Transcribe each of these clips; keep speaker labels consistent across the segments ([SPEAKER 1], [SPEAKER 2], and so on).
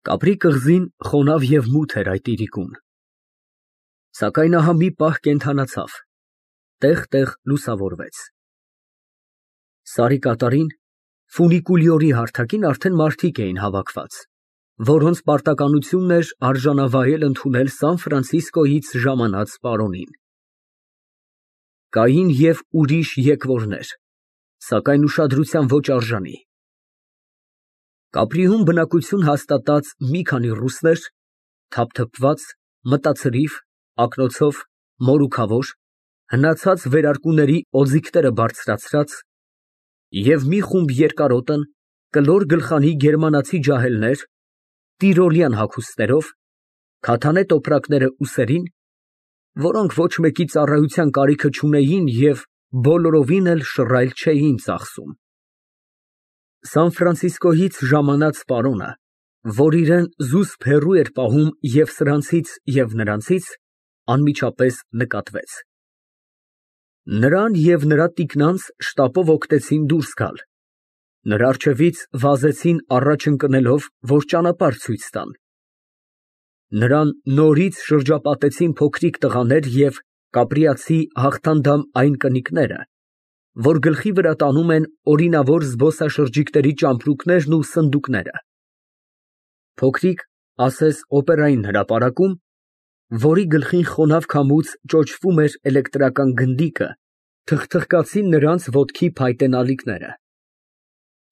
[SPEAKER 1] Կապրի կղզին խոնավ և մութ էր այդ իրիկուն, սակայն ահա մի պահ կենդանացավ, տեղ֊տեղ լուսավորվեց։ Սարի կատարին, ֆունիկուլյորի հարթակին արդեն մարդիկ էին հավաքված, որոնց պարտականությունն էր արժանավայել ընդունել Սան Ֆրանցիսկոյից ժամանած պարոնին։ Կային և ուրիշ եկվորներ, սակայն ուշադրության ոչ արժանի։ Կապրիում բնակություն հաստատած մի քանի ռուսներ, թափթփված, մտացրիվ, ակնոցով, մորուքավոր, հնացած վերարկուների օձիքները բարձրացրած, և մի խումբ երկարոտն, կլոր գլխանի գերմանացի ջահելներ, տիրոլյան հագուստներով, քաթանե տոպրակները ուսերին, որոնք ոչ մեկի ծառայության կարիքը չունեին և բոլորովին էլ շռայլ չէին ծախսում։ Սան Ֆրանցիսկոյից ժամանած պարոնը, որ իրան զուսպ հեռու էր պահում և սրանցից, և նրանցից, անմիջապես նկատվեց։ Նրան և նրա տիկնանց շտապով օգնեցին դուրս գալ, նրա առջևից վազեցին առաջ ընկնելով, որ ճանապարհ ցույց տան։ Նրան նորից շրջապատեցին փոքրիկ տղաներ և կապրիացի հաղթանդամ այն կնիկները, որ գլխի վրա տանում են օրինավոր զբոսաշրջիկների ճամպրուկներն ու սնդուկները, փոքրիկ, ասես օպերային հրապարակում, որի գլխին խոնավ քամուց ճոճվում էր էլեկտրական գնդիկը, թխթխկացին նրանց ոտքի փայտե նալիքները,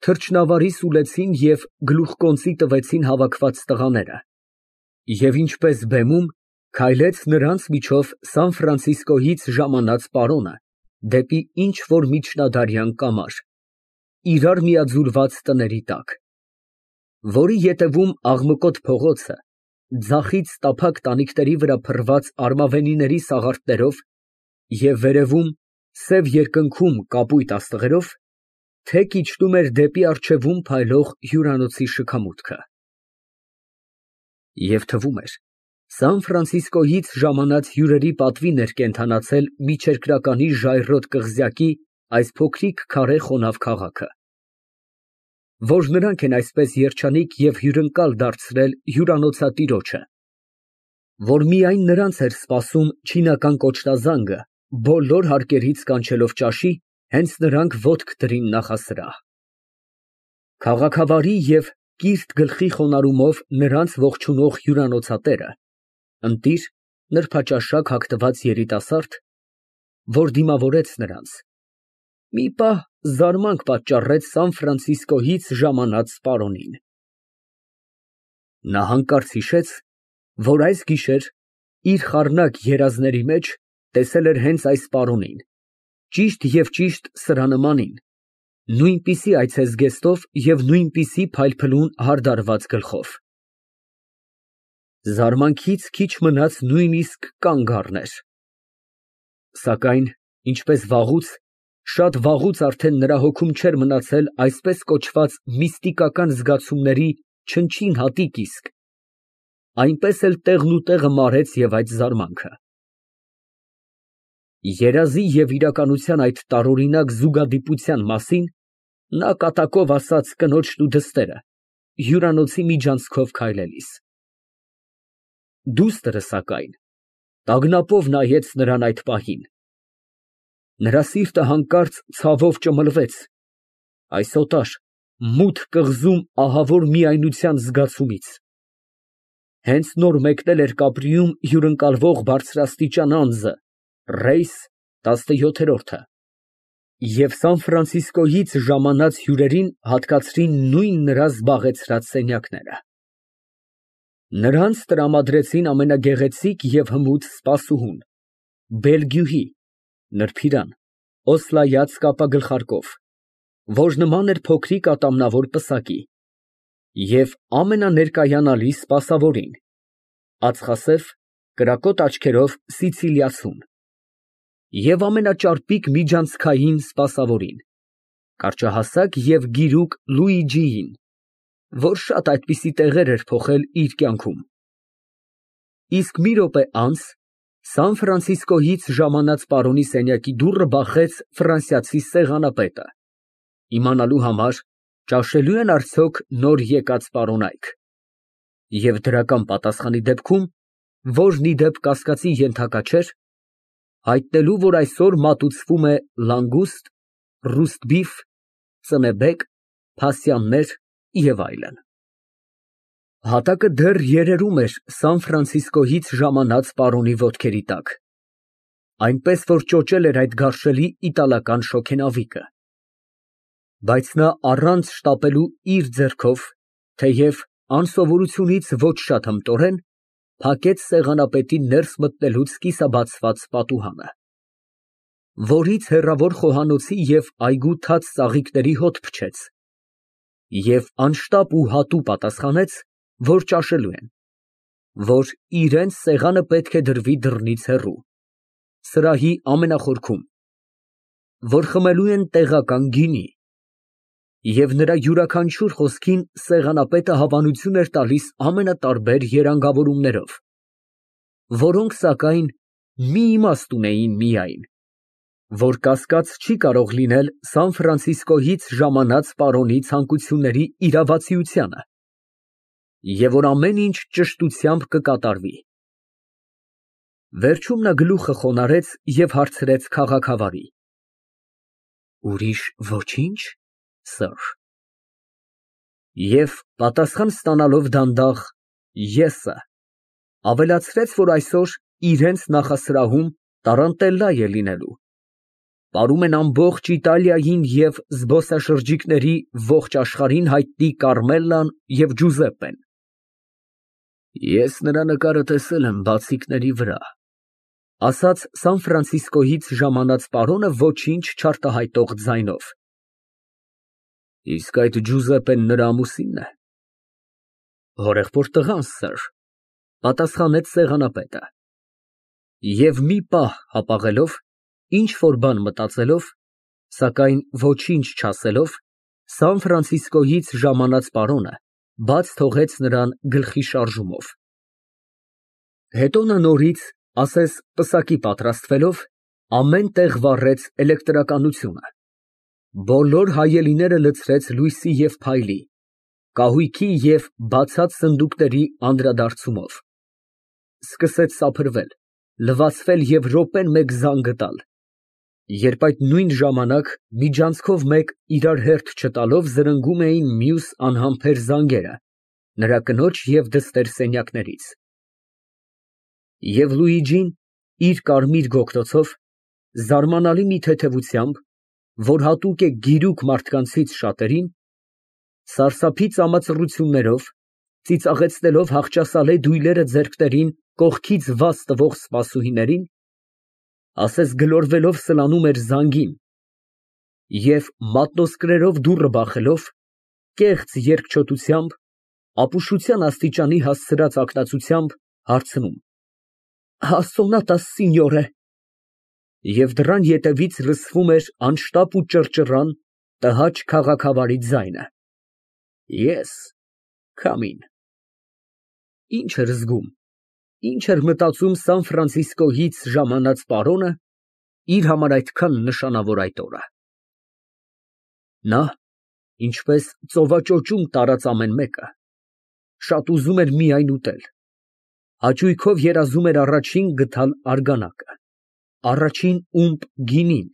[SPEAKER 1] թռչնավարի սուլեցին և գլուխկոնծի տվեցին հավաքված տղաները, և ինչպես բեմում, քայլեց նրանց միջով Սան Ֆրանցիսկոյից ժամանած պարոնը դեպի ինչ֊որ միջնադարյան կամար, իրար միաձուլված տների տակ, որի ետևում աղմկոտ փողոցը, ձախից տափակ տանիքների վրա փռված արմավենիների սաղարթներով և վերևում, սև երկնքում կապույտ աստղերով, թեք իջնում էր դեպի առջևում փայլող հյուրանոցի շքամուտքը։ Եվ թվում էր, Սան Ֆրանցիսկոյից ժամանած հյուրերի պատվին էր կենդանացել միջերկրականի ժայռոտ կղզյակի այս փոքրիկ քարե խոնավ քաղաքը, որ նրանք են այսպես երջանիկ և հյուրընկալ դարձրել հյուրանոցատիրոջը, որ միայն նրանց էր սպասում չինական կոչտազանգը, բոլոր հարկերից կանչելով ճաշի, հենց նրանք ոտք դրին նախասրահ։ Քաղաքավարի և կիրթ գլխի խոնարհումով նրանց ողջունող հյուրանոցատերը, ընտիր, նրբաճաշակ հագնված երիտասարդ, որ դիմավորեց նրանց, մի պահ զարմանք պատճառեց Սան Ֆրանցիսկոյից ժամանած պարոնին։ Նա հանկարծ հիշեց, որ այս գիշեր իր խառնակ երազների մեջ տեսել էր հենց այս պարոնին, ճիշտ և ճիշտ սրա նմանին, նույնպիսի այցեզգեստով և նույնպիսի փայլփլուն հարդարված գլխով։ Զարմանքից քիչ մնաց նույնիսկ կանգ առներ, սակայն, ինչպես վաղուց, շատ վաղուց արդեն նրա հոգում չէր մնացել այսպես կոչված միստիկական զգացումների չնչին հատիկ իսկ, այնպես էլ տեղնուտեղը մարեց և այդ զարմանքը։ Երազի և իրականության այդ տարօրինակ զուգադիպության մասին նա կատակով ասաց կնոջն ու դստերը, հյուրանոցի միջանցքով քայլելիս։ Դուստր, սակայն, տագնապով նայեց նրան այդ պահին։ Նրա սիրտը հանկարծ ցավով ճմլվեց այս օտար, մութ կղզում ահավոր միայնության զգացումից։ Հենց նոր մեկնել էր Կապրիում հյուրընկալվող բարձրաստիճան անձը, ռեյս 17-րդը, և Սան Ֆրանցիսկոյից ժամանած հյուրերին հատկացրին նույն նրա զբաղեցրած սենյակները։ Նրանց տրամադրեցին ամենագեղեցիկ և հմուտ սպասուհուն, բելգյուհի, նրբիրան, օսլայած կապագլխարկով, որ նման էր փոքրիկ ատամնավոր պսակի, և ամենաներկայանալի սպասավորին, ածխասև, կրակոտ աչքերով սիցիլիացուն, և ամենաճարպիկ միջանցքային սպասավորին, կարճահասակ և գիրուկ Լուիջիին, որ շատ այդպիսի տեղեր էր փոխել իր կյանքում։ Իսկ մի րոպե անց Սան Ֆրանցիսկոյից ժամանած պարոնի սենյակի դուռը բախեց ֆրանսիացի սեղանապետը, իմանալու համար ճաշելո՞ւ են արդյոք նոր եկած պարոնայք։ Եվ դրական պատասխանի դեպքում, որն ի դեպ կասկածի ենթակա չէր, հայտնելու, որ այսօր մատուցվում է լանգուստ, ռուստբիֆ, ծնեբեկ, փասյաններ և այլն։ Հատակը դեռ երերում էր Սան Ֆրանցիսկոյից ժամանած պարոնի ոտքերի տակ, այնպես որ ճոճել էր այդ գարշելի իտալական շոգենավիկը։ Բայց նա առանց շտապելու իր ձեռքով, թեև անսովորությունից ոչ շատ հմտորեն, փակեց սեղանապետի ներս մտնելուց կիսաբացված պատուհանը, որից հեռավոր խոհանոցի և այգու թաց ծաղիկների հոտ փչեց, և անշտապ ու հատու պատասխանեց, որ ճաշելու են, որ իրենց սեղանը պետք է դրվի դռնից հեռու, սրահի ամենախորքում, որ խմելու են տեղական գինի, և նրա յուրաքանչյուր խոսքին սեղանապետը հավանություն էր տալիս ամենատարբեր երանգավորումներով, որոնք, սակայն, մի իմաստ ունեին միայն, որ կասկած չի կարող լինել Սան Ֆրանցիսկոյից ժամանած պարոնի ցանկությունների իրավացիությանը, և որ ամեն ինչ ճշտությամբ կկատարվի։ Վերջում նա գլուխը խոնարհեց և հարցրեց քաղաքավարի. Ուրիշ ոչի՞նչ, սըր։ Եվ պատասխան ստանալով դանդաղ եսը, ավելացրեց, որ այսօր իրենց նախասրահում տառանտելլա է լինելու, պարում են ամբողջ Իտալիային և զբոսաշրջիկների ողջ աշխարհին հայտնի Կառմելլան և Ջուզեպպեն։ Ես նրա նկարը տեսել եմ բացիկների վրա, ասաց Սան Ֆրանցիսկոյից ժամանած պարոնը ոչինչ չարտահայտող ձայնով։ Իսկ այդ Ջուզեպպեն նրա ամուսինն է։ Հորեղբորդ տղան, սըր, պատասխանեց սեղանապետը։ Եվ մի պահ հապաղելով, ինչ որ բան մտածելով, սակայն ոչինչ չասելով, Սան Ֆրանցիսկոյից ժամանած պարոնը բաց թողեց նրան գլխի շարժումով։ Հետո նա նորից, ասես պսակի պատրաստվելով, ամեն տեղ վառեց էլեկտրականությունը, բոլոր հայելիները լցրեց լույսի և փայլի, կահույքի և բացած սնդուկների անդրադարձումով, սկսեց սափրվել, լվացվել և րոպեն մեկ զանգը տալ, երբ այդ նույն ժամանակ միջանցքով մեկ իրար հերթ չտալով զրնգում էին մյուս անհամբեր զանգերը նրա կնոջ և դստեր սենյակներից։ Եվ Լուիջին իր կարմիր գոգնոցով, զարմանալի մի թեթևությամբ, որ հատուկ է գիրուկ մարդկանցից շատերին, սարսափի ծամածռություններով, ծիծաղեցնելով հախճասալե դույլերը ձեռքներին կողքից վազ տվող սպասուհիներին, ասես գլորվելով սլանում էր զանգին և մատնոսկրերով դուռը բախելով, կեղծ երկչոտությամբ, ապուշության աստիճանի հասցրած ակնածությամբ հարցնում. Ասոնատա սինյորե։ Եվ դռան ետևից լսվում էր անշտապ ու ճռճռան տհաճ քաղաքավարի ձայնը. Ես քամին։ Ինչ էր զգում, ինչ էր մտածում Սան Ֆրանցիսկոյից ժամանած պարոնը իր համար այդքան նշանավոր այդ օրը։ Նա, ինչպես ծովաճոճում տարած ամեն մեկը, շատ ուզում էր միայն ուտել, հաճույքով երազում էր առաջին գտալ արգանակը, առաջին ումպ գինին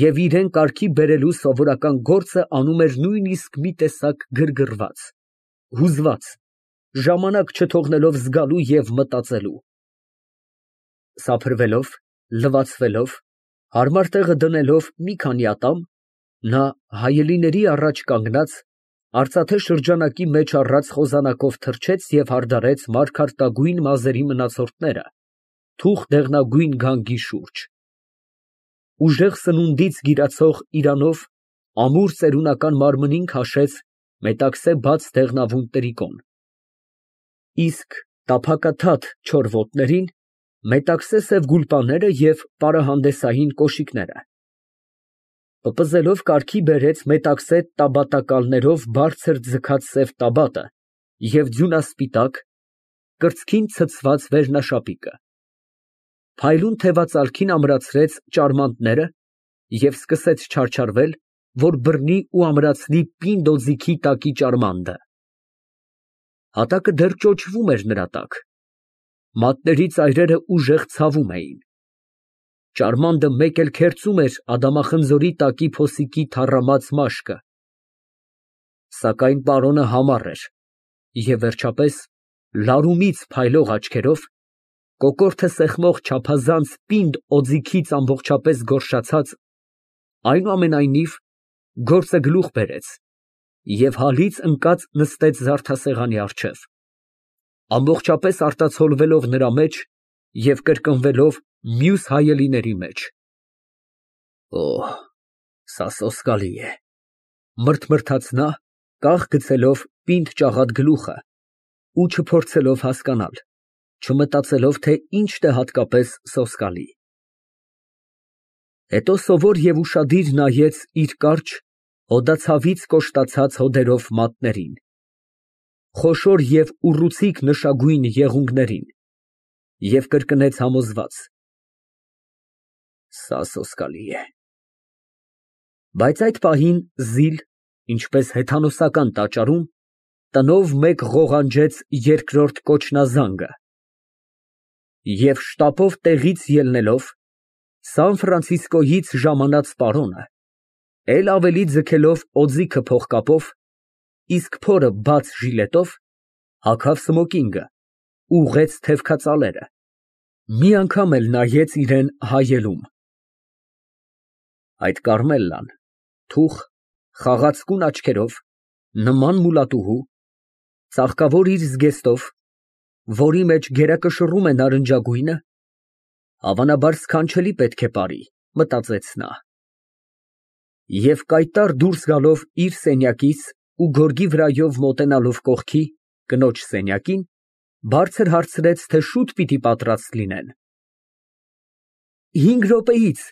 [SPEAKER 1] և իրան կարգի բերելու սովորական գործը անում էր նույնիսկ մի տեսակ գրգռված, հուզված, ժամանակ չթողնելով զգալու և մտածելու։ Սափրվելով, լվացվելով, հարմար տեղը դնելով մի քանի ատամ, նա հայելիների առաջ կանգնած, արծաթե շրջանակի մեջ առած խոզանակով թռչեց և հարդարեց մարգարտագույն մազերի մնացորդները թուխ դեղնագույն գանգի շուրջ։ Ուժեղ սնունդից գիրացող իրանով ամուր ծերունական մարմնին քաշեց մետաքսե բաց դեղնավուն տրիկոն, իսկ տափակաթաթ չոր ոտներին մետաքսե սև գուլպաները և պարահանդեսային կոշիկները, պպզելով կարգի բերեց մետաքսե տաբատակալներով բարձր ձգած սև տաբատը և ձյունասպիտակ, կրծքին ցցված վերնաշապիկը, փայլուն թևածալքին ամրացրեց ճարմանտները և սկսեց չարչարվել, որ բռնի ու ամրացնի պինդ օձիքի տակի ճարմանդը։ Հատակը դեռ ճոճվում էր նրա տակ։ Մատների ծայրերը ուժեղ ցավում էին։ Ճարմանդը մեկ էլ քերծում էր ադամախնձորի տակի փոսիկի թառամած մաշկը։ Սակայն պարոնը համառ էր և, վերջապես, լարումից փայլող աչքերով, կոկորդը սեղմող չափազանց պինդ օձիքից ամբողջապես գոռշացած, այնուամենայնիվ, գործը գլուխ բերեց և հալից ընկած նստեց զարդասեղանի առջև, ամբողջապես արտացոլվելով նրա մեջ և կրկնվելով մյուս հայելիների մեջ։ «Օհ, սա սոսկալի է», մրթմրթաց նա, կախ գցելով պինդ ճաղատ գլուխը ու չփորձելով հասկանալ, չմտածելով, թե ինչն է հատկապես սոսկալի։ Հետո սովոր և ուշադիր նայեց իր կարճ, հոդացավից կոշտացած հոդերով մատներին, խոշոր և ուռուցիկ նշագույն եղունգներին և կրկնեց համոզված. «Սա սոսկալի է»։ Բայց այդ պահին զիլ, ինչպես հեթանոսական տաճարում, տնով մեկ ղողանջեց երկրորդ կոչնազանգը, և շտապով տեղից ելնելով, Սան Ֆրանցիսկոյից ժամանած պարոնը, էլ ավելի ձգելով օձիքը փողկապով, իսկ փորը բաց ժիլետով, հագավ սմոկինգը, ուղղեց թևքածալերը, մի անգամ էլ նայեց իրան հայելում։ Այդ Կառմելլան, թուխ, խաղացկուն աչքերով, նման մուլատուհու, ծաղկավոր իր զգեստով, որի մեջ գերակշռում է նարնջագույնը, հավանաբար սքանչելի պետք է պարի, մտածեց նա։ Եվ կայտառ դուրս գալով իր սենյակից ու գորգի վրայով մոտենալով կողքի, կնոջ սենյակին, բարձր հարցրեց, թե շուտ պիտի պատրաստ լինեն։ «5 րոպեից»,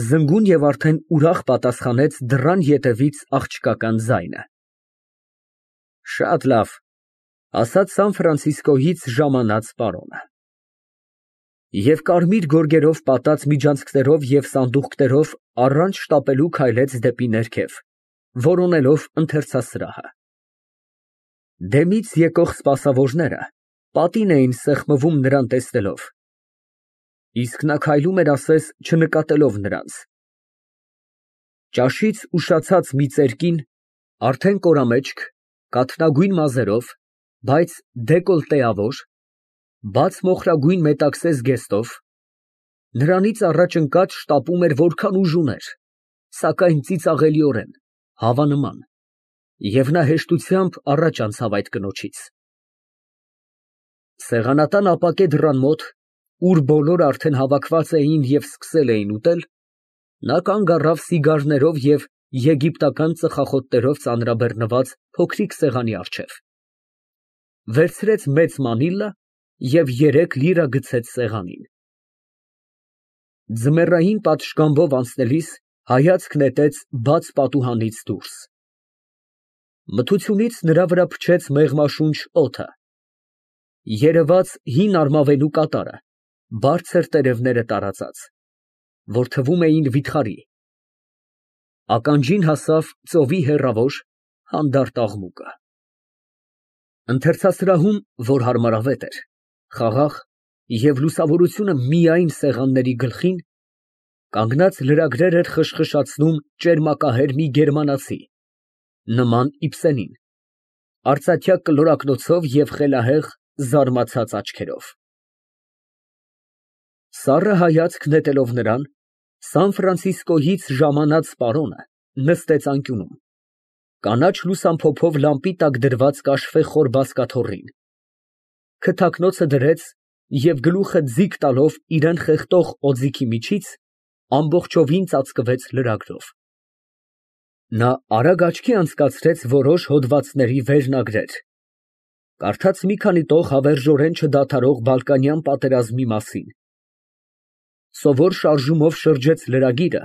[SPEAKER 1] զնգուն և արդեն ուրախ պատասխանեց դռան ետևից աղջկական ձայնը։ «Շատ լավ», ասաց Սան Ֆրանցիսկոյից ժամանած պարոնը։ Եվ կարմիր գորգերով պատած միջանցքներով և սանդուղքներով առանց շտապելու քայլեց դեպի ներքև, որոնելով ընթերցասրահը։ Դեմից եկող սպասավորները պատին էին սեղմում նրան տեսնելով, իսկ նա քայլում էր ասես չնկատելով նրանց։ Ճաշից ուշացած մի ծեր կին, արդեն կորամեջք, կաթնագույն մազերով, բայց դեկոլտեավոր, բաց մոխրագույն մետաքսե զգեստով, նրանից առաջ ընկած շտապում էր որքան ուժ ուներ, սակայն ծիծաղելիորեն, հավանման, և նա հեշտությամբ առաջ անցավ այդ կնոջից։ Սեղանատան ապակե դռան մոտ, ուր բոլորը արդեն հավաքված էին և սկսել էին ուտել, նա կանգ առավ սիգարներով և եգիպտական ծխախոտներով ծանրաբեռնված փոքրիկ սեղանի առջև, վերցրեց մեծ մանիլլա և 3 լիրա գցեց սեղանին։ Ձմեռային պատշգամբով անցնելիս հայացք նետեց բաց պատուհանից դուրս։ Մթությունից նրա վրա փչեց մեղմաշունչ օդը, երևաց հին արմավենու կատարը, բարձր տերևները տարածած, որ թվում էին վիթխարի, ականջին հասավ ծովի հեռավոր, հանդարտ աղմուկը։ Ընթերցասրահում, որ հարմարավետ էր, խաղաղ և լուսավորությունը միայն սեղանների գլխին, կանգնած լրագրեր էր խշխշացնում ճերմակահեր մի գերմանացի, նման Իբսենին, արծաթյա կլորակնոցով և խելահեղ, զարմացած աչքերով։ Սառը հայացք նետելով նրան, Սան Ֆրանցիսկոյից ժամանած պարոնը նստեց անկյունում, կանաչ լուսամփոփով լամպի տակ դրված կաշվե խոր բազկաթոռին, քթակնոցը դրեց և գլուխը ձիգ տալով իրան խեղդող օձիքի միջից, ամբողջովին ծածկվեց լրագրով։ Նա արագ աչքի անցկացրեց որոշ հոդվածների վերնագրեր, կարդաց մի քանի տող հավերժորեն չդադարող Բալկանյան պատերազմի մասին, սովոր շարժումով շրջեց լրագիրը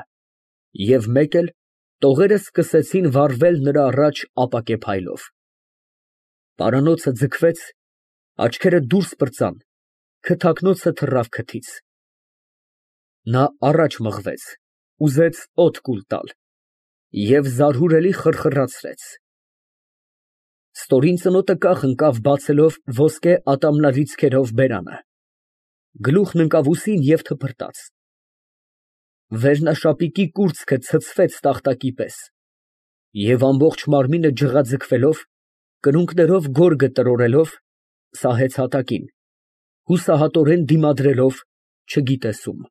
[SPEAKER 1] և մեկ էլ տողերը սկսեցին վառվել նրա առաջ ապակե փայլով։ Պարանոցը ձգվեց, աչքերը դուրս պրծան, քթակնոցը թռավ քթից։ Նա առաջ մղվեց, ուզեց օդ կուլ տալ և զարհուրելի խրխրացրեց. Ստորին ծնոտը կախ ընկավ բացելով ոսկե ատամնալիցքերով բերանը, գլուխն ընկավ ուսին և թփրտաց, վերնաշապիկի կուրծքը ցցվեց տախտակի պես և ամբողջ մարմինը ջղաձգվելով, կրունկներով գորգը տրորելով, սահեց հատակին, հուսահատորեն դիմադրելով չգիտես ում։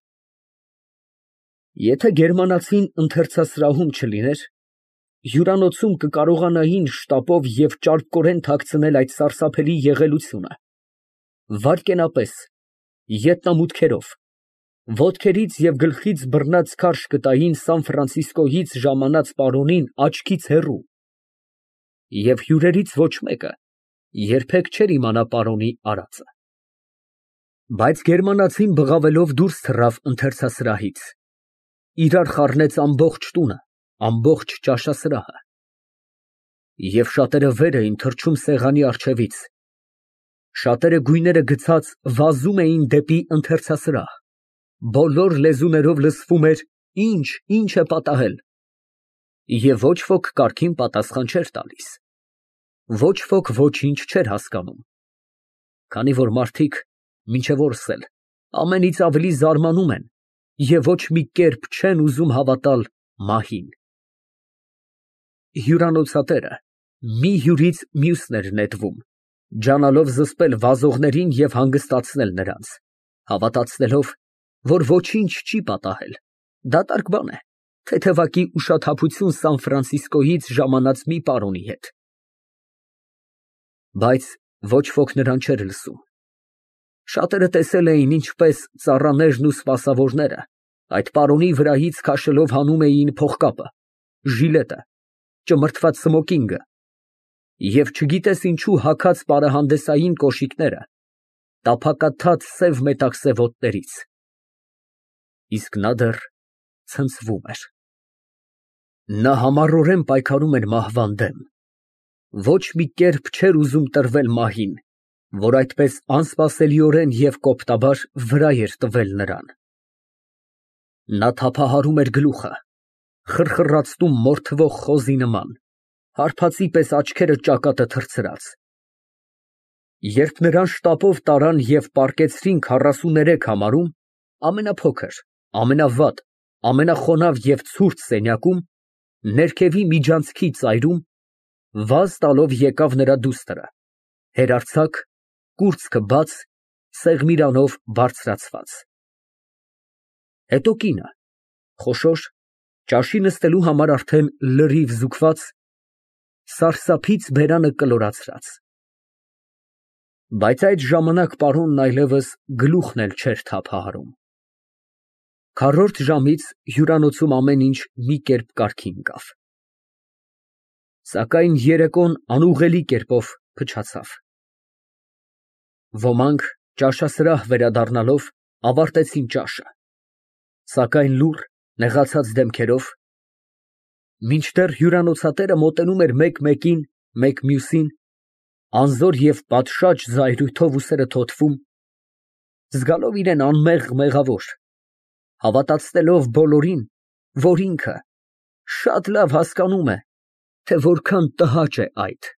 [SPEAKER 1] Եթե գերմանացին ընթերցասրահում չլիներ, հյուրանոցում կկարողանային շտապով և ճարպկորեն թաքցնել այդ սարսափելի եղելությունը, վայրկենապես, ետնամուտքերով, ոտքերից և գլխից բռնած քարշ կտային Սան Ֆրանցիսկոյից ժամանած պարոնին աչքից հեռու, և հյուրերից ոչ մեկը երբեք չէր իմանա պարոնի արածը։ Բայց գերմանացին բղավելով դուրս թռավ ընթերցասրահից, իրար խառնեց ամբողջ տունը, ամբողջ ճաշասրահը, և շատերը վեր էին թռչում սեղանի առջևից, շատերը գույները գցած վազում էին դեպի ընթերցասրահ, բոլոր լեզուներով լսվում էր ինչ է պատահել, և ոչ ոք կարգին պատասխան չէր տալիս, ոչ ոք ոչինչ չէր հասկանում, քանի որ մարդիկ մինչև օրս էլ ամենից ավելի զարմանում են և ոչ մի կերպ չեն ուզում հավատալ մահին։ Հյուրանոցատերը մի հյուրից մյուսն էր նետվում, ջանալով զսպել վազողներին և հանգստացնել նրանց, հավատացնելով, որ ոչինչ չի պատահել, դատարկ բան է, թեթևակի ուշաթափություն Սան Ֆրանցիսկոյից ժամանած մի պարոնի հետ։ Բայց ոչ ոք նրան չէր լսում։ Շատերը տեսել էին, ինչպես ծառաներն ու սպասավորները այդ պարոնի վրայից քաշելով հանում էին փողկապը, ժիլետը, ճմրթված սմոկինգը և չգիտես ինչու հագած պարահանդեսային կոշիկները տափակաթաթ սև մետաքսե ոտներից, իսկ նա դեռ ցնցվում էր։ Նա համառորեն պայքարում էր մահվան դեմ, ոչ մի կերպ չէր ուզում տրվել մահին, որ այդպես անսպասելիորեն և կոպտաբար վրա էր տվել նրան։ Նա թափահարում էր գլուխը, խրխռացնում մորթվող խոզի նման, հարբածի պես աչքերը ճակատը թռցրած։ Երբ նրան շտապով տարան և պառկեցրին 43 համարում, ամենափոքր, ամենավատ, ամենախոնավ և ցուրտ սենյակում, ներքևի միջանցքի ծայրում, վազ տալով եկավ նրա դուստրը, հերարձակ, կուրծքը բաց, սեղմիրանով բարձրացված։ Հետո կինը, խոշոր, ճաշի նստելու համար արդեն լրիվ զուգված, սարսափից բերանը կլորացրած։ Բայց այդ ժամանակ պարոնն այլևս գլուխն էլ չէր թափահարում։ Քառորդ ժամից հյուրանոցում ամեն ինչ մի կերպ կարգի ընկավ։ Սակայն երեկոն անուղղելի կերպով փչացավ։ Ոմանք, ճաշասրահ վերադառնալով, ավարտեցին ճաշը, սակայն լուռ, նեղացած դեմքերով, մինչդեռ հյուրանոցատերը մոտենում էր մեկ֊մեկին, մեկ մյուսին, անզոր և պատշաճ զայրույթով ուսերը թոթվում, զգալով իրան անմեղ մեղավոր, հավատացնելով բոլորին, որ ինքը շատ լավ հասկանում է, թե որքան տհաճ է այդ,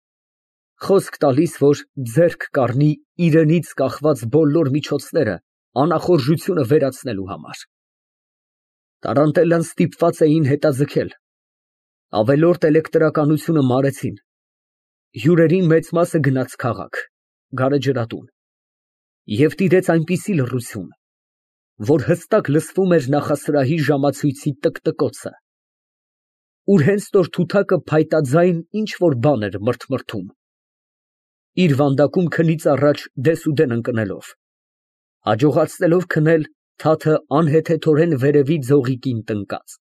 [SPEAKER 1] խոսք տալիս, որ ձեռք կառնի իրենից կախված բոլոր միջոցները անախորժությունը վերացնելու համար։ Տարանտելան ստիպված էին հետաձգել, ավելորդ էլեկտրականությունը մարեցին, հյուրերի մեծ մասը գնաց քաղաք, գարեջրատուն, և տիրեց այնպիսի լռություն, որ հստակ լսվում էր նախասրահի ժամացույցի տկտկոցը, ուր հենց նոր թութակը փայտաձայն ինչ֊որ բան էր մրթմրթում, իր վանդակում քնից առաջ դեսուդեն ընկնելով, հաջողացնելով քնել թաթը անհեթեթորեն վերևի ձողիկին տնկած։